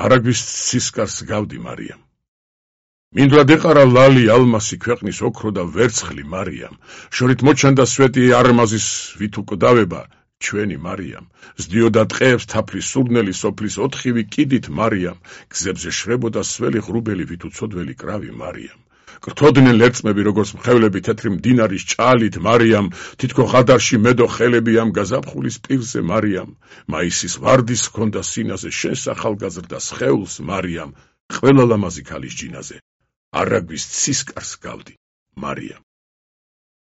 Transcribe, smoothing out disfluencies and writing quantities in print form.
არაგვის ცისკარს გავდი მარიამ. მინდვრად ეყარა ლალი ალმასი ქვეყნის ოქრო და ვერცხლი მარიამ. შორით მოჩანდა სვეტი არმაზის ვით უკვდავება ჩვენი მარიამ. ზდიოდა ტყეებს თაფლის სურნელი სოფლის 4 კიდით მარიამ. გზებზე შრებოდა სველი ღრუბელი ვით უცოდველი კრავი მარიამ. გრთოდნენ ლერწმები როგორც მხევლები თეთრი მდინარის ჭალით მარიამ. თითქო ღადარში მედო ხელები ამ გაზაფხულის პირზე მარიამ. მაისის ვარდის ჰქონდა სინაზე შენს ახალგაზრდა სხეულს მარიამ. ყველა ლამაზი ქალის ჯინაზე არაგვის ცისკარს გავდი მარიამ.